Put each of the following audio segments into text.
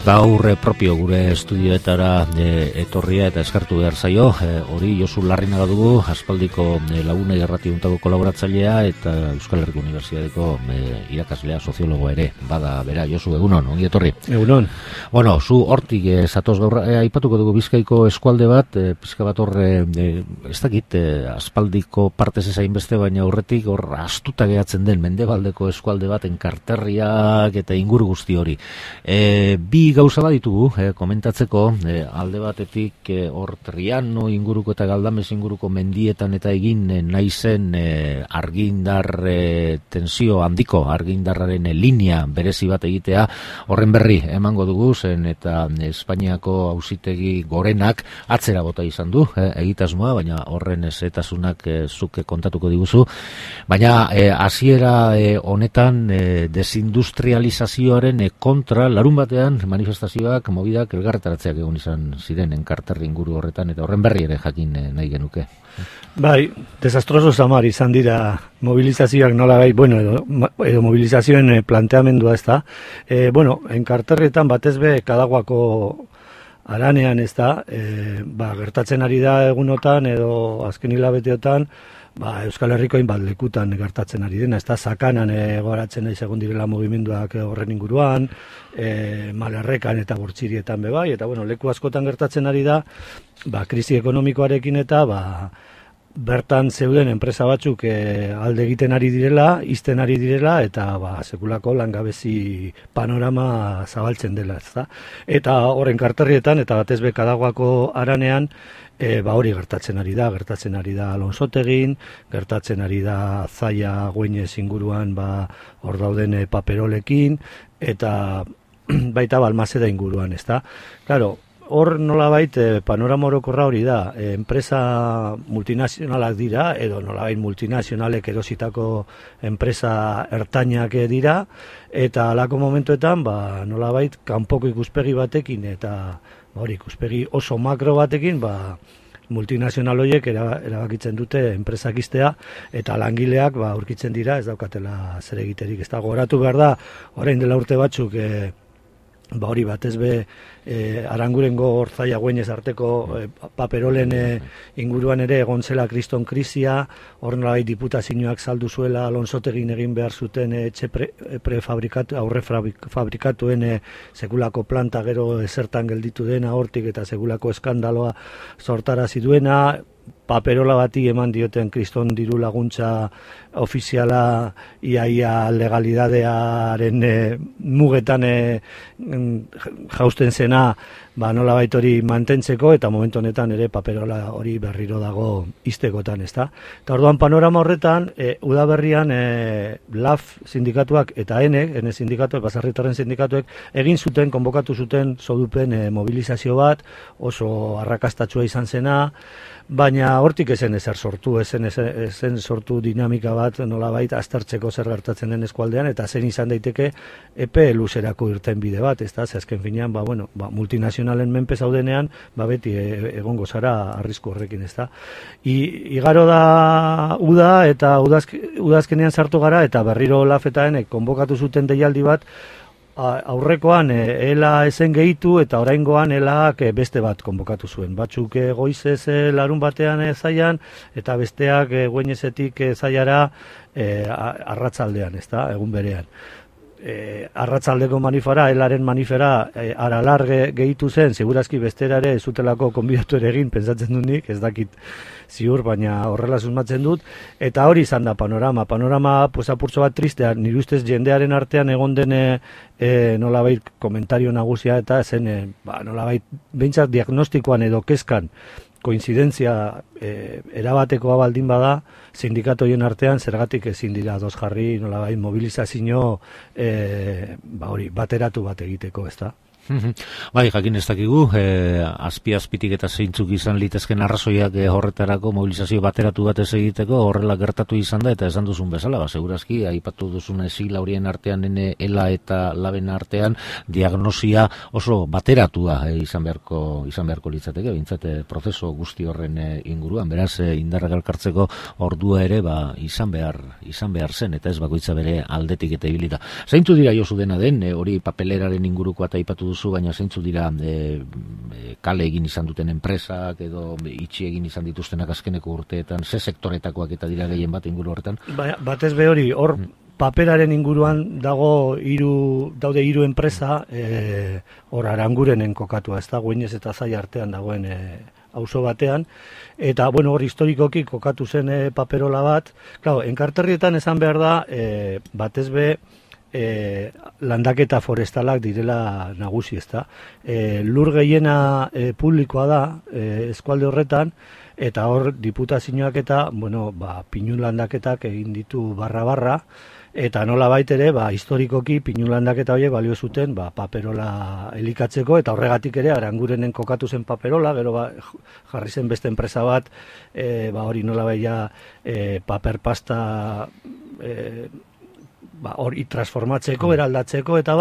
Gaur propio gure estudioetara etorria eta eskartu behar zaio, hori Josu Larrinaga dugu, aspaldiko Laguna Irrati Untako kolaboratzailea eta Euskal Herriko Unibertsitateko irakaslea, soziologoa ere, bada bera. Josu, egunon, ongi etorri. Egunon. Bueno, zu hortik zatoz gaur, aipatuko dugu Bizkaiko eskualde bat, pizka bat horre, ez dakit, aspaldiko partez ezain beste, baina aurretik hor astuta gehatzen den mendebaldeko eskualde bat, enkarterriak eta inguru guzti hori. Bi gauza bat ditugu, komentatzeko, alde batetik hor Triano inguruko eta Galdames inguruko mendietan eta egin nahi zen argindar tensio handiko, argindarraren linea berezi bat egitea, horren berri emango dugu zen eta Espainiako auzitegi gorenak atzera bota izan du, egitasmoa, baina horren ezetasunak zuk kontatuko diguzu, baina hasiera honetan desindustrializazioaren kontra larun batean manifestazioak, mobidak, elgarretaratzeak egon izan ziren enkarterri inguru horretan, eta horren berri ere jakin nahi genuke. Bai, desastroso samar izan dira mobilizazioak nola bai, bueno, edo mobilizazioen planteamendua ez da. Enkarterrietan batez be Kadaguako aranean ez da, gertatzen ari da egunotan edo azken hilabeteotan, Euskal Herriko hainbat lekutan gertatzen ari dena, ez da, Sakanan goratzen nahi segun direla mugimenduak horren inguruan, Malerrekan eta Bortzirietan bebai, eta leku askotan gertatzen ari da, krisi ekonomikoarekin eta bertan zeuden enpresa batzuk alde egiten ari direla, izten ari direla, eta sekulako langabezi panorama zabaltzen dela, ez da. Eta horren karterrietan, eta batez be Kadaguako aranean, hori gertatzen ari da Alonsotegin, gertatzen ari da Zaia Güeñez inguruan hor dauden paperolekin, eta baita Balmaseda inguruan, ez da. Claro, hor nolabait panorama orokorra hori da, enpresa multinazionalak dira, edo nolabait multinazionalek erositako enpresa ertainak dira, eta halako momentuetan nolabait kanpoko ikuspegi batekin, eta ikuspegi oso makro batekin, multinazional horiek erabakitzen dute enpresak iztea, eta langileak aurkitzen dira, ez daukatela zer egiterik. Ez da, gogoratu behar da, orain dela urte batzuk, hori batez be Arangurengo Zaia Güeñez arteko paperolen inguruan ere egon zela kriston krisia, hor nolabait diputazioak saldu zuela Alonsotegin egin behar zuten aurre fabrikatuen sekulako planta gero ezertan gelditu dena hortik eta sekulako eskandaloa sortarazi duena, paperola bati eman dioten kriston diru laguntza ofiziala iaia legalidadearen mugetan jausten zena nolabait hori mantentzeko, eta momentu honetan ere paperola hori berriro dago iztekotan, ezta. Eta orduan panorama horretan, udaberrian LAF sindikatuak eta ENE sindikatuak, baserritarren sindikatuek, egin zuten, konbokatu zuten sodupen mobilizazio bat, oso arrakastatsua izan zena, baina hortik ezen ezer sortu, ezen sortu dinamika bat nolabait aztertzeko zer gertatzen den eskualdean, eta zen izan daiteke epe luzerako irten bide bat, ez da, azken finean, multinazionalen menpe zaudenean, beti egongo zara arrisku horrekin, ez da. Igaro da uda, eta udazkenean sartu gara, eta berriro lafetaen konbokatu zuten deialdi bat, aurrekoan ela ezen gehitu eta oraingoan elak beste bat konbokatu zuen. Batzuk goizez larun batean Zaian eta besteak Güeñezetik Zaiara arratzaldean, ez da, egun berean. Arratzaldeko manifara, elaren manifera aralar gehitu zen, segurazki bestera ere zutelako konbidatu ere egin, pentsatzen dut nik, ez dakit ziur, baina horrela susmatzen dut, eta hori izan da panorama apurtxo bat tristea, nire ustez jendearen artean egon den nolabait komentario nagusia, eta zen nolabait behintzat diagnostikoan edo kezkan koinzidentzia erabatekoa baldin bada, sindikatoien artean zergatik ezin dira ados jarri nolabait mobilizazio bateratu bat egiteko, ez da? Bai, jakin ez dakigu, azpi-azpitik eta zeintzuk izan litezken arrazoiak horretarako mobilizazio bateratu bat ez egiteko, horrela gertatu izan da, eta esan duzun bezala, segurazki, aipatu duzun sigla horien artean, ELA eta LABen artean, diagnosia oso bateratua izan beharko litzateke, bintzat prozeso guzti horren inguruan, beraz, indarra elkartzeko ordua ere, izan behar zen, eta ez bakoitza bere aldetik eta ibilita. Zeintzu dira Josu dena den, hori papeleraren inguruko eta aipatu duzu, baina zeintzu dira kale egin izan duten enpresak edo itxi egin izan dituztenak azkeneko urteetan, ze sektoretakoak eta dira gehien bat inguru horretan? Batez be hori, hor paperaren inguruan daude hiru enpresa, hor Arangurenen kokatua, ez da, Güeñes eta Zai artean dagoen auzo batean, eta, bueno, hor historikoki kokatu zen paperola bat. Claro, enkarterrietan esan behar da, batez be, landaketa forestalak direla nagusi, ez da. Lur gehiena publikoa da, eskualde horretan, eta hor diputazioak eta, bueno, pinu landaketak egin ditu barra-barra, eta nola baitere, historikoki pinu landaketa horiek balio zuten paperola elikatzeko, eta horregatik ere Arangurenen kokatu zen paperola, gero jarri zen beste enpresa bat, hori nola baia paper pasta hori transformatzeko, eraldatzeko, eta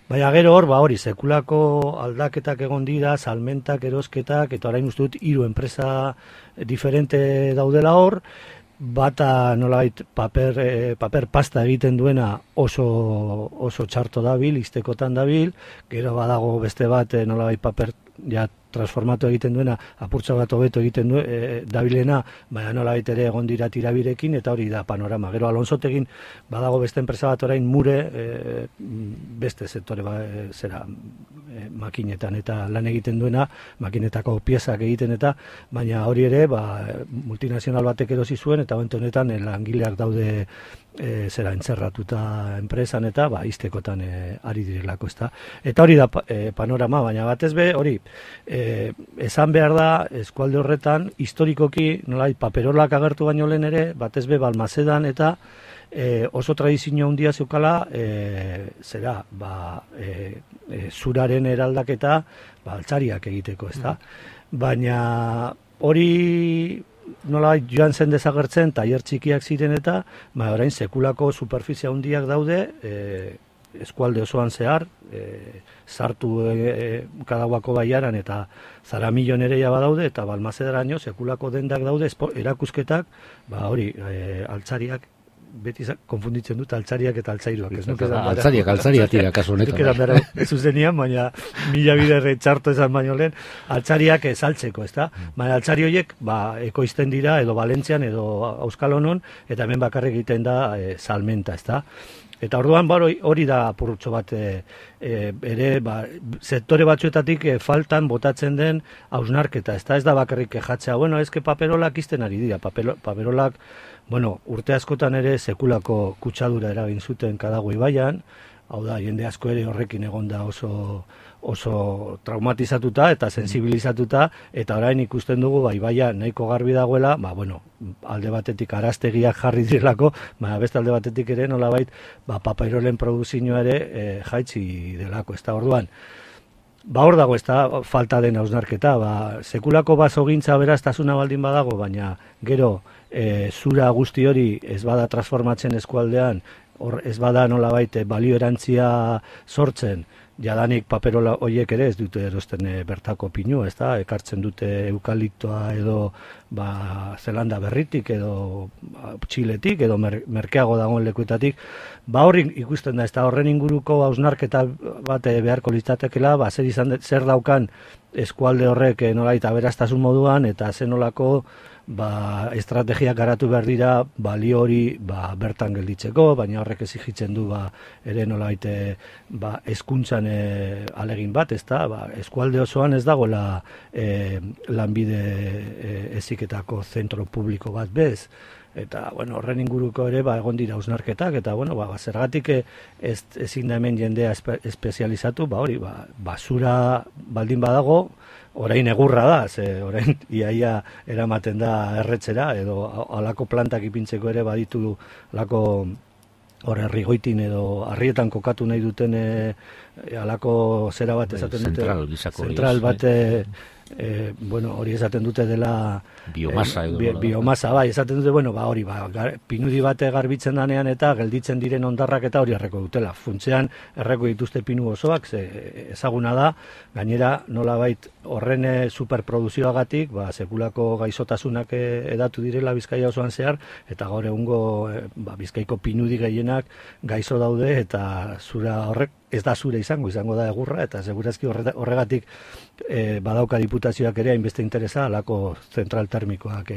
baina gero hori sekulako aldaketak egon dira, salmentak, erosketak, eta orain uste dut 3 enpresa diferente daudela hor, bata nolabait paper pasta egiten duena oso txarto dabil, iztekotan dabil, gero badago beste bat nolabait paper transformatu egiten duena, apurtza bat hobeto egiten dabilena, baina nolabait ere egon dira tirabirekin, eta hori da panorama. Gero Alonsotegin badago beste enpresa bat orain Mure, beste sektore makinetan eta lan egiten duena, makinetako piezak egiten eta, baina hori ere multinazional batek erosi zuen, eta honetan langileak daude entzerratuta enpresan eta iztekotan ari direlako, ezta. Eta hori da panorama, baina batez be hori esan behar da eskualde horretan historikoki nolait paperolak agertu baino lehen ere, batez be Balmasedan eta oso tradizio handia zeukala zuraren eraldaketa altzariak egiteko, ezta. Baina hori nolabait joan zen desagertzen, tailer txikiak ziren eta orain sekulako superfizia handiak daude eskualde osoan zehar, sartu Kadaguako baiaran eta Zaramillon ere badaude, eta Balmasedaraino sekulako dendak daude, erakusketak, hori, altzariak, beti konfunditzen dut altzariak eta altzairuak. Altzariak tira, kasu honetan. Ez zuzenian, baina mila biderre txarto esan baino lehen, altzariak saltzeko, ez da? Baina altzari horiek ekoizten dira, edo Valentzian, edo Auskalonon, eta hemen bakarrik egiten da salmenta, ez da? Eta orduan hori da apurtxo bat ere sektore batzuetatik faltan botatzen den hausnarketa, ez da bakarrik kejatzea, bueno, ezke paperolak izten ari dira, paperolak, bueno, urte askotan ere sekulako kutsadura eragin zuten Kadagu ibaian, hau da, jende asko ere horrekin egonda oso traumatizatuta eta sensibilizatuta, eta orain ikusten dugu ibaia nahiko garbi dagoela, bueno, alde batetik araztegiak jarri direlako, beste alde batetik ere nolabait paperolen produzioa ere jaitsi delako, ez da. Orduan, hor dago, ez da, falta den hausnarketa, sekulako basogintza beraztasuna baldin badago, baina gero zura guzti hori ez bada transformatzen eskualdean, ez bada nolabait balio erantzia sortzen, jadanik paperola horiek ere ez dute erosten bertako pinu, ez da, ekartzen dute eukaliptoa edo Zelanda berritik edo Txiletik edo merkeago dagoen lekuetatik, horri ikusten da, ez da, horren inguruko hausnarketa bat beharko litzatekeela, zer daukan eskualde horrek nolait aberastasun moduan, eta zen nolako estrategiak garatu behar dira balio hori bertan gelditzeko, baina horrek exigitzen du ere nolait hezkuntzan alegin bat, ez da, eskualde osoan ez dagoela lanbide heziketako zentro publiko bat bez, eta horren inguruko ere egon dira hausnarketak, eta zergatik ezin da hemen jendea espezializatu, hori, basura baldin badago, orain egurra da, orain iaia eramaten da erretzera, edo alako plantak ipintzeko ere baditu alako herrigoitin edo harrietan kokatu nahi duten alako zera bat esaten dute, zentral bat, hori esaten dute dela biomasa esaten dute, hori pinudi bat garbitzen danean eta gelditzen diren ondarrak eta hori erreko dutela, funtzean erreko dituzte pinu osoak, ezaguna da, gainera nolabait horren superproduzioagatik sekulako gaixotasunak edatu direla Bizkaia osoan zehar, eta gaur egungo Bizkaiko pinudi gehienak gaixo daude, eta zura horrek ez da zure izango da egurra, eta segurazki horregatik badauka diputazioak ere hainbeste interesa alako zentral termikoak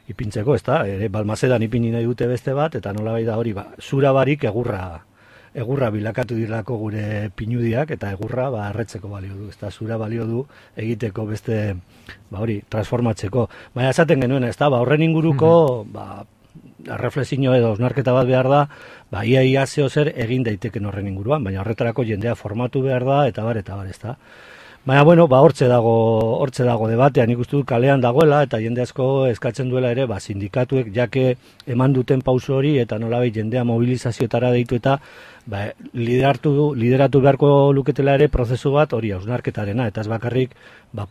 ipintzeko, ez da, Balmasedan ipini nahi dute beste bat, eta nolabait da hori, zura barik egurra bilakatu direlako gure pinudiak, eta egurra erretzeko balio du, ez da, zura balio du egiteko beste, hori, transformatzeko. Baina esaten genuen, ez da, horren inguruko, reflexio edo osnarketa bat behar da, ia zeo zer egin daiteken horren inguruan, baina horretarako jendea formatu behar da, eta bar, ez da. Baina, hortze dago debatean, ikustu kalean dagoela, eta jende asko eskatzen duela ere, sindikatuek jake eman duten pauso hori, eta nolabait jendea mobilizazioetara deitu eta lideratu beharko luketela ere prozesu bat hori hausnarketarena, eta ez bakarrik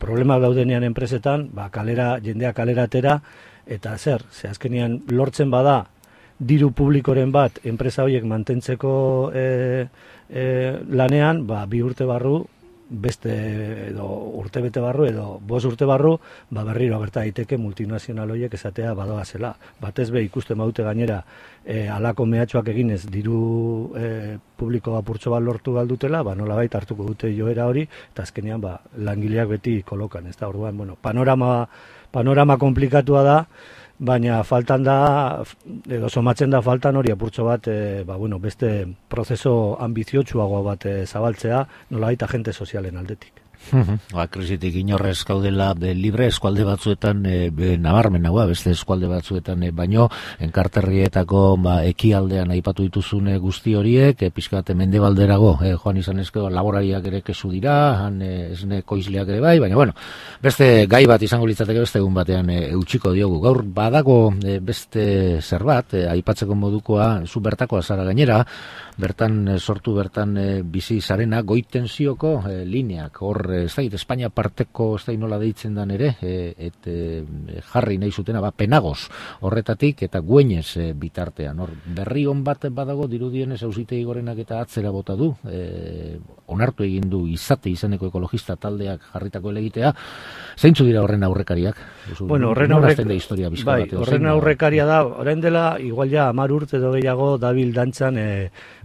problema daudenean enpresetan, jendea kalera atera, eta ze azkenean lortzen bada diru publikoren bat enpresa horiek mantentzeko lanean, 2 urte barru, beste edo urte bete barru edo 5 urte barru, berriro gerta daiteke multinazional horiek esatea badoazela. Batez be ikusten badute gainera halako mehatxoak eginez diru publiko apurtxo bat lortu galdutela, nolabait hartuko dute joera hori, eta azkenean langileak beti kolokan, ez da, orduan, panorama komplikatua da, baina faltan da, edo somatzen da faltan hori apurtxo bat, beste prozeso ambiziotsuago bat zabaltzea, nolabait agente sozialen aldetik. Krisitik inorrez gaudela libre eskualde batzuetan nabarmen beste eskualde batzuetan baino enkarterrietako ekialdean aipatu dituzune guzti horiek pixkat mendebalderago joan izan ezkero laborariak ere kesu dira han esne koizleak ere bai, baina beste gai bat izango litzateke beste egun batean eutxiko diogu. Gaur badago beste zerbait aipatzeko modukoa zu bertakoa zara gainera, bertan sortu bizi zarena goitensioko lineak hor ez da, Espainia parteko ez da nola deitzen dan ere, jarri nahi zutena, Penagos horretatik eta Güeñez bitartean. Hor berri on bat badago dirudienez Auzitegi Gorenak eta atzera bota du, onartu egin du izate izeneko ekologista taldeak jarritako elegitea. Zeintzu dira horren aurrekariak? Horren aurrekaria da, orain dela, igual ja 10 urte edo gehiago dabil dantzan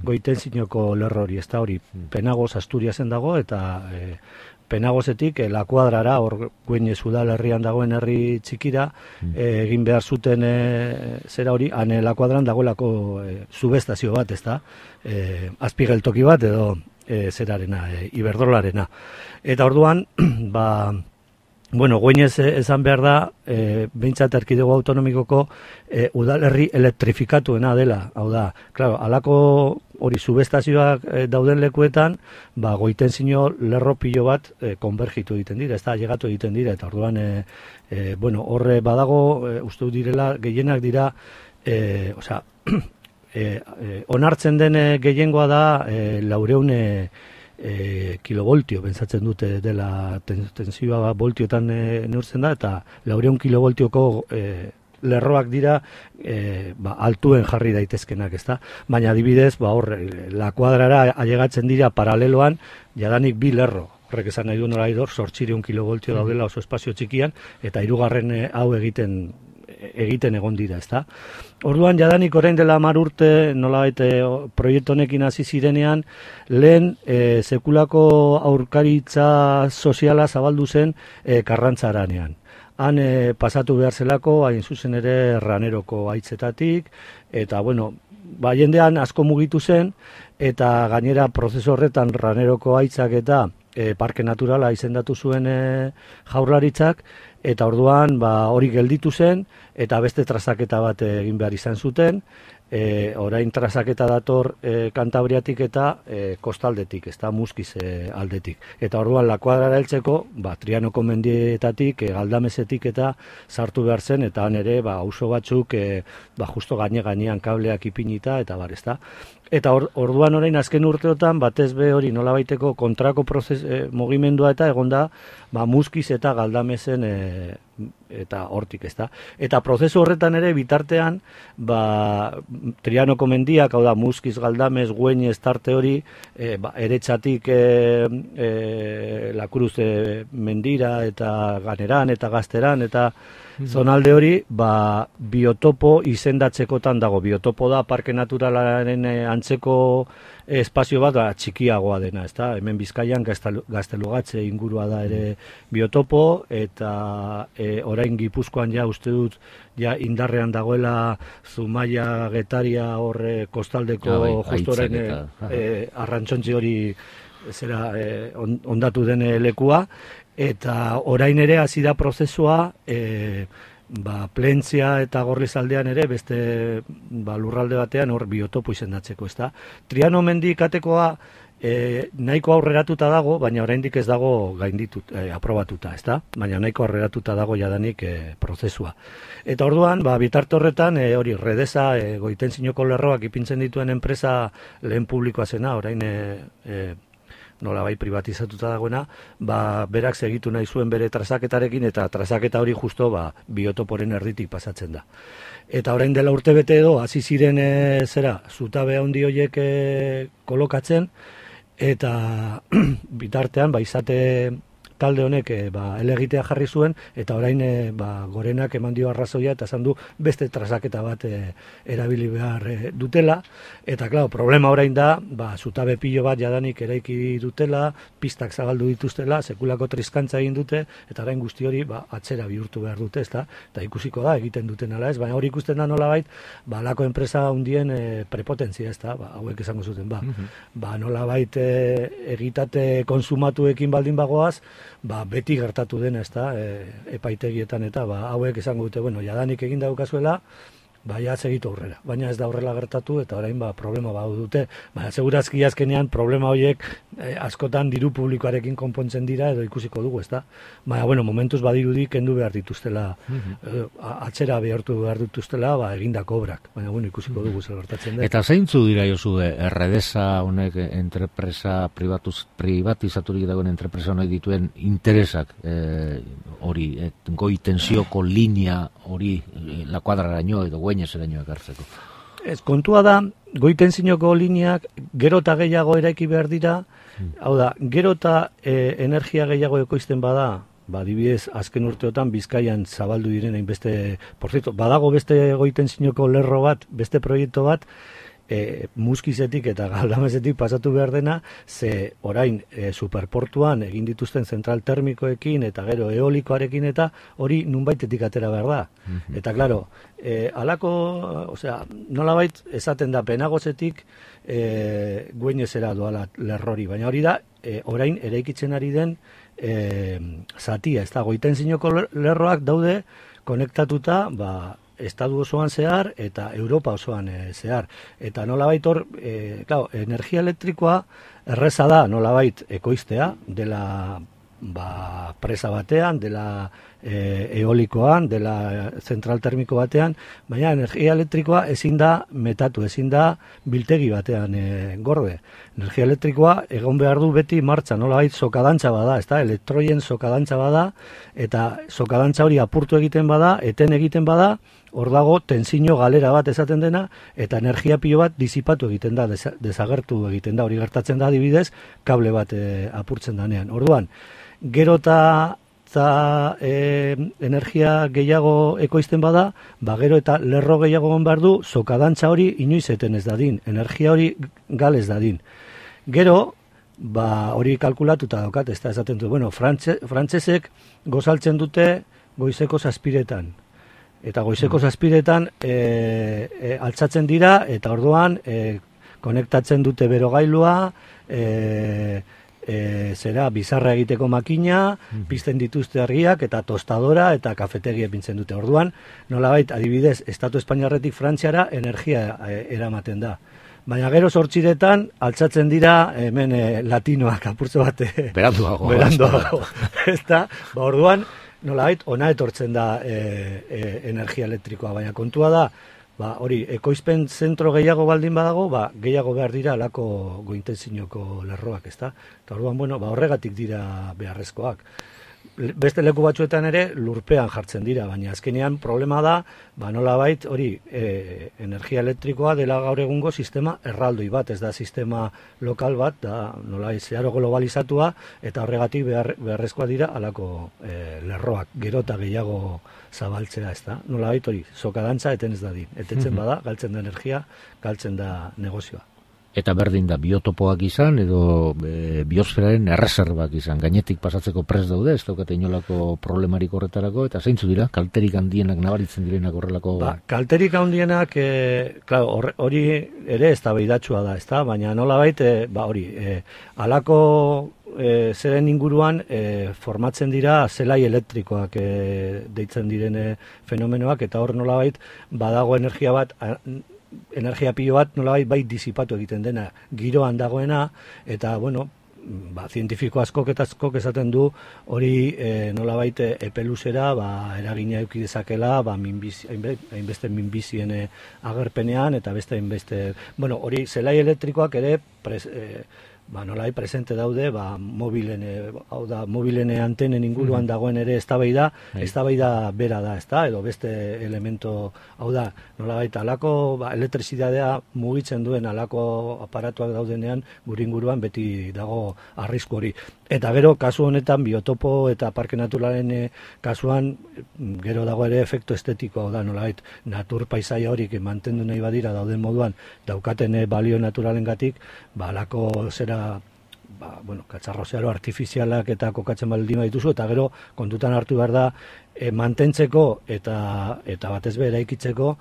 Goitensioko lerro hori, ez da hori, Penagos Asturiasen dago, eta Penagosetik La Kuadrara, hor Güeñez udalerrian dagoen herri txikira, egin behar zuten zera hori, han La Kuadran dagoelako subestazio bat, ez da, azpigeltoki bat edo zerarena, Iberdrolarena. Eta orduan, Güeñez esan behar da, behintzat erkidego autonomikoko udalerri elektrifikatuena dela. Hau da, claro, alako hori subestazioak dauden lekuetan, Goitensio lerro pilo bat konbergitu egiten dira, ez da, llegatu egiten dira, eta orduan, horre badago, uste direla, gehienak dira, onartzen den gehiengoa da 400 kilovoltio, pentsatzen dute dela tensioa voltiotan neurtzen da, eta 400 kilovoltioko lerroak dira altuen jarri daitezkenak, ezta? Baina adibidez, La Kuadrara ailegatzen dira paraleloan jadanik 2 lerro. Horrek esan nahi du nolaidor 800 kilovoltio daudela oso espazio txikian, eta 3. hau egiten egon dira, ezta? Orduan jadanik orain dela 10 urte nolabait proiektu honekin hasi zirenean, lehen sekulako aurkaritza soziala zabaldu zen Karrantzaranean. Han pasatu behar zelako, hain zuzen ere Raneroko haitzetatik, eta jendean asko mugitu zen, eta gainera prozesu horretan Raneroko haitzak eta parke naturala izendatu zuen Jaurlaritzak, eta orduan hori gelditu zen, eta beste trazaketa bat egin behar izan zuten, orain trazaketa dator Kantabriatik eta kostaldetik, ez da Muskiz aldetik. Eta orduan La Kuadrara heltzeko, Trianoko mendietatik, Galdamesetik eta sartu behar zen, eta han ere auzo batzuk justo gainean kableak ipinita, eta ez da. Eta orduan orain azken urteotan, batez be hori nolabaiteko kontrako mugimendua eta egonda Muskiz eta Galdamesen eta hortik, ez da. Eta prozesu horretan ere bitartean, Trianoko mendiak, hau da, Muskiz, Galdames, Güeñez tarte hori, eretxatik La Cruz mendira eta Ganeran eta Gazteran eta zonalde hori, biotopo izendatzekotan dago. Biotopo da parke naturalaren antzeko espazio bat txikiagoa dena, ezta? Hemen Bizkaian Gaztelugatxe ingurua da ere biotopo, eta orain Gipuzkoan ja uste dut ja indarrean dagoela Zumaia, Getaria horre kostaldeko justo orain arrantzontzi hori zera ondatu den lekua, eta orain ere hasi da prozesua Plentzia eta Gorlizaldean ere beste lurralde batean hor biotopo izendatzeko, ezta? Triano mendi katekoa nahiko aurreratuta dago, baina oraindik ez dago gainditut, aprobatuta, ezta? Baina nahiko aurreratuta dago jadanik prozesua. Eta orduan, bitarte horretan, hori Redesa, Goitenzinoko lerroak ipintzen dituen enpresa lehen publikoa zena, orain nolabait privatizatuta dagoena, berak segitu nahi zuen bere trazaketarekin, eta trazaketa hori justo biotoporen erditik pasatzen da. Eta orain dela urtebete edo, hasi ziren zutabe handi horiek kolokatzen, eta bitartean, izate talde honek elegitea jarri zuen, eta orain Gorenak eman dio arrazoia, eta esan du beste trazaketa bat erabili behar dutela, eta klaro, problema orain da, zutabe pilo bat jadanik eraiki dutela, pistak zabaldu dituztela, sekulako triskantza egin dute, eta orain guzti hori atzera bihurtu behar dute, ezta? Eta ikusiko da, egiten duten ala ez, baina hori ikusten da nolabait, lako enpresa hundien prepotentzia, ezta? Hauek esango zuten, nolabait egitate konsumatuekin baldin bagoaz, beti gertatu dena, ezta, epaitegietan eta hauek esango dute, jadanik egin daukazuela, ja segitu aurrera. Baina ez da horrela gertatu eta orain problema dute. Baina segurazki azkenean problema horiek askotan diru publikoarekin konpontzen dira edo ikusiko dugu, ezta? Baina, momentuz badirudi kendu behar dituztela, atzera behartu behar dituztela, egindako obrak. Baina, ikusiko dugu zer gertatzen da. Eta zeintzu dira Josu, Redesa honek entrepresa privatizaturik dagoen entrepresa honek dituen interesak hori, goi tensioko linea hori la kuadraraino edo gueñeseraino ekartzeko. Ez, kontua da, goi tensioko lineak gero eta gehiago eraiki behar dira, hau da, gero eta energia gehiago ekoizten bada, adibidez, azken urteotan Bizkaian zabaldu diren hainbeste, por cierto, badago beste goi tensioko lerro bat, beste proiektu bat, Muskizetik eta Galdamezetik pasatu behar dena, ze orain superportuan egin dituzten zentral termikoekin eta gero eolikoarekin eta hori nunbaitetik atera behar da. Eta klaro, nolabait esaten da Penagozetik Gueñesera doala lerrori, baina hori da orain eraikitzen ari den zatia, ez da, Goitenzinoko lerroak daude konektatuta, Estatu osoan zehar eta Europa osoan zehar. Eta nolabait hor, energia elektrikoa erreza da nolabait ekoiztea, dela presa batean, dela eolikoan, dela zentral termiko batean, baina energia elektrikoa ezin da metatu, ezin da biltegi batean gorde. Energia elektrikoa egon behar du beti martxan, nolabait sokadantza bada, ezta? Elektroien sokadantza bada, eta sokadantza hori apurtu egiten bada, eten egiten bada, hor dago tentsio galera bat esaten dena, eta energia pilo bat disipatu egiten da, desagertu egiten da, hori gertatzen da adibidez, kable bat apurtzen danean. Orduan, gero eta energia gehiago ekoizten bada, gero eta lerro gehiago behar du, sokadantza hori inoiz eten ez dadin, energia hori gal ez dadin. Gero, hori kalkulatuta daukat, ez da esaten du, frantsesek gozaltzen dute goizeko 7:00. Eta goizeko 7:00 altzatzen dira, eta orduan konektatzen dute berogailua, bizarra egiteko makina, pizten dituzte argiak, eta tostadora eta kafetegia epintzen dute. Orduan, nolabait, adibidez, Estatu Espainiarretik Frantziara energia eramaten da. Baina gero 8:00 altzatzen dira hemen latinoak apurtze bat beranduago. Ezta? Orduan, nolabait, ona etortzen da energia elektrikoa, baina kontua da, hori, ekoizpen zentro gehiago baldin badago, gehiago behar dira alako goitenzinoko lerroak, ezta? Eta orduan, horregatik dira beharrezkoak. Beste leku batzuetan ere lurpean jartzen dira, baina azkenean problema da, nolabait, hori, energia elektrikoa dela gaur egungo sistema erraldoi bat, ez da sistema lokal bat, da nolabait zeharo globalizatua, eta horregatik beharrezkoa dira alako lerroak, gero eta gehiago zabaltzea, ez da? Nolabait hori, sokadantza eten ez dadin, etetzen bada, galtzen da energia, galtzen da negozioa. Eta berdin da biotopoak izan edo biosferaren erreserbak izan, gainetik pasatzeko prest daude, ez daukate inolako problemarik horretarako, eta zeintzu dira, kalterik handienak nabaritzen direnak horrelako... Kalterik handienak, hori ere eztabaidatsua da, ezta? Baina nolabait, halako zeren inguruan formatzen dira zelai elektrikoak deitzen diren fenomenoak, eta hor nolabait badago energia pilo bat nolabait bai disipatu egiten dena, giroan dagoena, eta zientifiko askok eta askok esaten du hori nolabait epeluzera eragina eduki dezakela hainbeste minbizien agerpenean, eta beste hainbeste, hori zelai elektrikoak ere nolai presente daude, mobilen antenen inguruan dagoen ere eztabaida bera da, ezta, edo beste elemento, nolabait alako elektrizitatea mugitzen duen alako aparatuak daudenean gure inguruan beti dago arrisku hori. Eta gero, kasu honetan, biotopo eta parke naturalen kasuan, gero dago ere efektu estetikoa da, nolabait, natur paisaia horik mantendu nahi badira dauden moduan, daukaten balio naturalengatik, alako zera katzarro zero artifizialak eta kokatzen baldin badituzu, eta gero kontutan hartu behar da mantentzeko eta batez be eraikitzeko,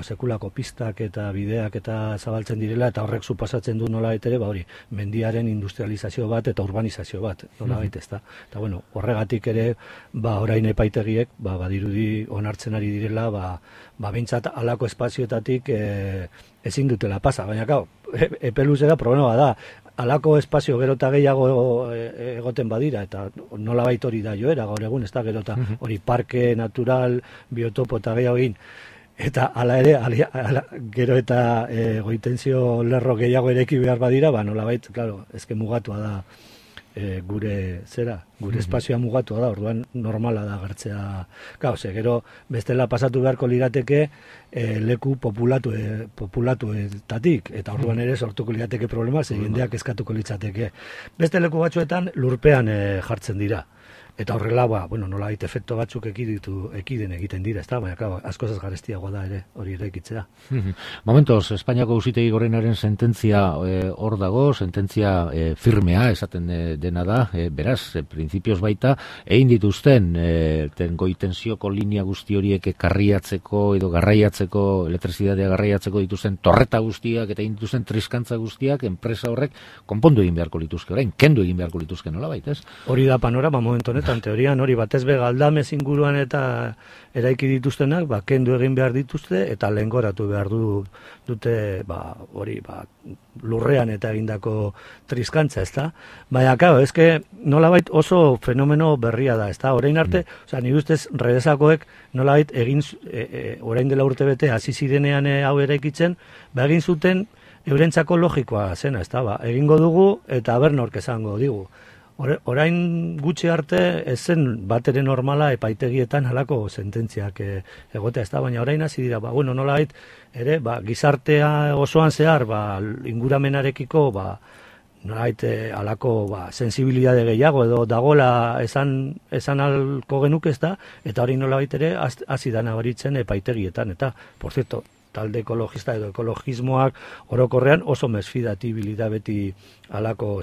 sekulako pistak eta bideak eta zabaltzen direla, eta horrek suposatzen du nolabait ere, hori, mendiaren industrializazio bat eta urbanizazio bat, nolabait ez da. Eta horregatik ere, orain epaitegiek, badirudi onartzen ari direla, behintzat alako espazioetatik ezin dutela pasa, baina epeluzera problema da, alako espazio gero eta gehiago egoten badira, eta nolabait hori da joera gaur egun, ez da gero eta hori parke natural, biotopo eta gehiago egin, eta ala ere, gero eta goitenzio lerro gehiago ereki behar badira, nolabait, ezke mugatua da gure espazioa mugatua da, orduan normala da gertzea, gero bestela pasatu beharko lirateke leku populatuetatik, eta orduan ere sortuko lirateke problema, jendeak eskatuko litzateke. Beste leku batzuetan lurpean jartzen dira, eta horrela, nolabait efekto batzuk ekiden egiten dira, ez da, baina asko ez garestiagoa da ere, hori eraikitzea. Momentoz, Espainiako Auzitegi Gorenaren sententzia hor dago, sententzia firmea, esaten dena da, beraz, printzipioz baita, egin dituzten goitenzioko linea guzti horiek karriatzeko edo garraiatzeko, elektrizitatea garraiatzeko dituzten torreta guztiak eta egin dituzten triskantza guztiak, enpresa horrek konpondu egin beharko lituzke, orain, kendu egin beharko lituzke nolabait, ez? Hori da panorama momentu honetan, teorian hori batez be galdamez inguruan eta eraiki dituztenak, kendu egin behar dituzte eta lehengoratu behar dute hori lurrean eta egindako triskantza, ez da? Baina, eske nolabait oso fenomeno berria da, ez da? Orain arte, nire ustez, redesakoek nolabait orain dela urte bete hasi zirenean hau eraikitzen, egin zuten eurentzako logikoa zena, ez da? Egingo dugu eta bernork esango digu. Orain gutxi arte ez zen batere normala epaitegietan halako sententziak egotea, ez da, baina orain hasi dira, nolabait ere, gizartea osoan zehar, inguramenarekiko, nolabait halako sensibilitate gehiago edo dagoela esan alko genuke, ez da, eta hori nolabait ere hasi da nabaritzen epaitegietan, eta, por cierto, talde ekologista edo ekologismoak orokorrean oso mesfidatibilita beti halako,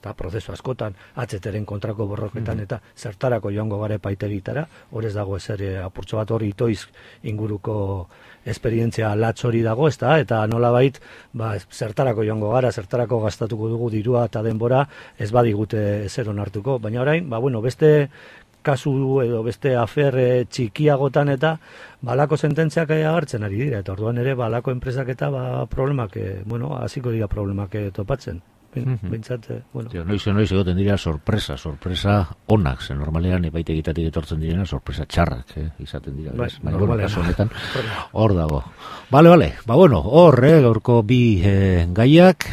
eta prozesu askotan, atzeteren kontrako borroketan, eta zertarako joango gara epaitegitara, horrez dago ezer apurtxo bat hori itoiz inguruko esperientzia latz hori dago, eta nolabait, zertarako joango gara, zertarako gastatuko dugu dirua eta denbora, ez badigute ezer onartuko, baina orain, beste kasu edo beste afer txikiagotan eta balako sententziak agertzen ari dira, eta orduan ere balako enpresak eta problemak, hasiko dira problemak topatzen. Bentsat, noiz egoten dira sorpresa onak, normalean epaitegitatik etortzen direna sorpresa txarrak izaten dira, baina kasu honetan hor dago. Bale, hor, gaurko bi gaiak,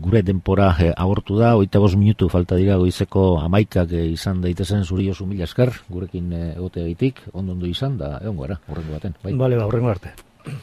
gure denpora agortu da, 25 minutu falta dira goizeko 11 izan daitezen zuri oso mila esker, gurekin egoteagitik, ondo izan, da egon gara, horrengo baten. Bale, horrengo arte.